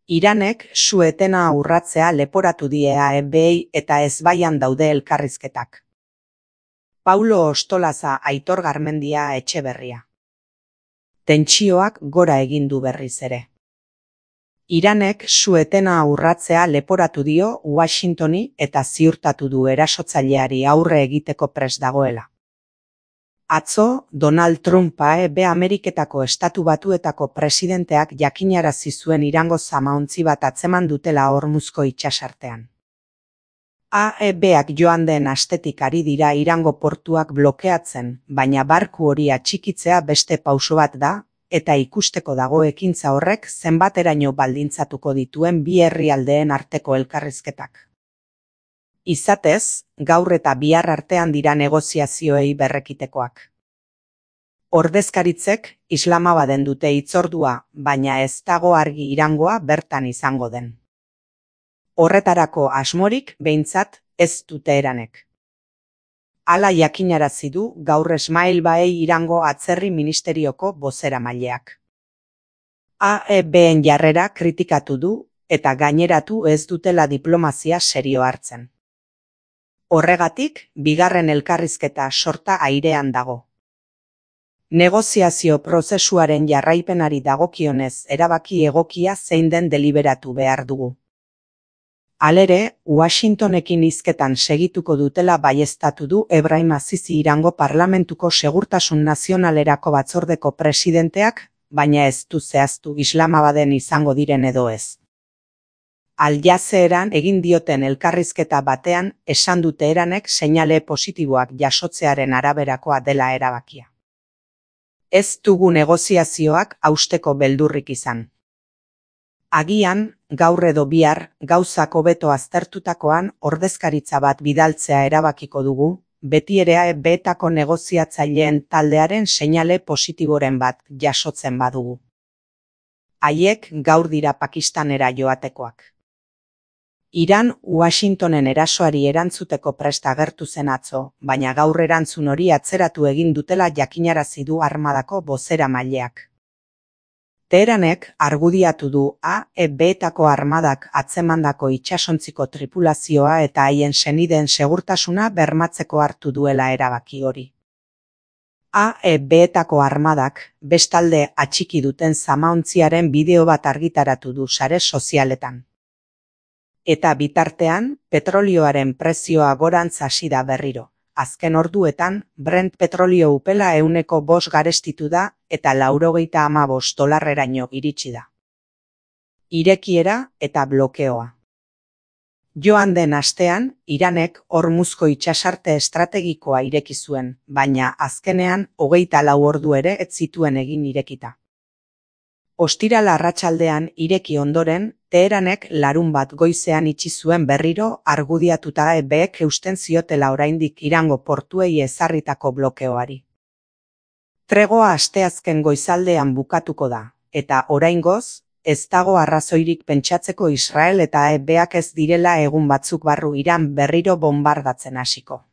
Iranek su-etena urratzea leporatu die AEBei eta ezbaian daude elkarrizketak. Paulo Ostolaza, Aitor Garmendia, Etxeberria. Tentsioak gora egin du berriz ere. Iranek su-etena urratzea leporatu dio Washingtoni eta ziurtatu du erasotzaileari aurre egiteko prest dagoela. Atzo, Donald Trump AEB Ameriketako Estatu Batuetako presidenteak jakinarazi zuen Irango zamaontzi bat atzeman dutela Hormuzko itsasartean. AEBak joan den astetik ari dira Irango portuak blokeatzen, baina barku hori atxikitzea beste pauso bat da, eta ikusteko dago ekintza horrek zenbateraino baldintzatuko dituen bi herrialdeen arteko elkarrizketak. Izatez, gaur eta bihar artean dira negoziazioei berrekitekoak. Ordezkaritzek Islamabaden dute hitzordua, baina ez dago argi Irangoa bertan izango den. Horretarako asmorik behintzat ez dute Iranek. Hala jakinarazi du gaur Esmail Baei Irango atzerri ministerioko bozeramaileak. AEBen jarrera kritikatu du eta gaineratu ez dutela diplomazia serio hartzen. Horregatik, bigarren elkarrizketa sorta airean dago. Negoziazio prozesuaren jarraipenari dagokionez erabaki egokia zein den deliberatu behar dugu. Halere, Washingtonekin hizketan segituko dutela baieztatu du Ebrahim Azizi Irango Parlamentuko Segurtasun Nazionalerako batzordeko presidenteak, baina ez du zehaztu Islamabaden izango diren edo ez. Al Jazeeran egin dioten elkarrizketa batean esan dute Iranek seinale positiboak jasotzearen araberakoa dela erabakia. Ez dugu negoziazioak hausteko beldurrik izan. Agian, gaur edo bihar, gauzak hobeto aztertutakoan ordezkaritza bat bidaltzea erabakiko dugu, beti ere AEBetako negoziatzaileen taldearen seinale positiboren bat jasotzen badugu. Haiek gaur dira Pakistanera joatekoak. Iran Washingtonen erasoari erantzuteko prest agertu zen atzo, baina gaur erantzun hori atzeratu egin dutela jakinarazi du armadako bozeramaileak. Teheranek argudiatu du AEBetako armadak atzemandako itsasontziko tripulazioa eta haien senideen segurtasuna bermatzeko hartu duela erabaki hori. AEBetako armadak bestalde atxiki duten zamaontziaren bideo bat argitaratu du sare sozialetan. Eta bitartean, petrolioaren prezioa gorantz hasi da berriro. Azken orduetan, Brent petrolio upela 105 garestitu da eta $95 iritsi da. Irekiera eta blokeoa. Joan den astean, Iranek Hormuzko itsasarte estrategikoa ireki zuen, baina azkenean 24 ordu ere ez zituen egin irekita. Ostiral arratsaldean ireki ondoren, Teheranek larunbat goizean itxi zuen berriro argudiatuta AEBek eusten ziotela oraindik Irango portuei ezarritako blokeoari. Tregoa asteazken goizaldean bukatuko da, eta oraingoz, ez dago arrazoirik pentsatzeko Israel eta AEBak ez direla egun batzuk barru Iran berriro bonbardatzen hasiko.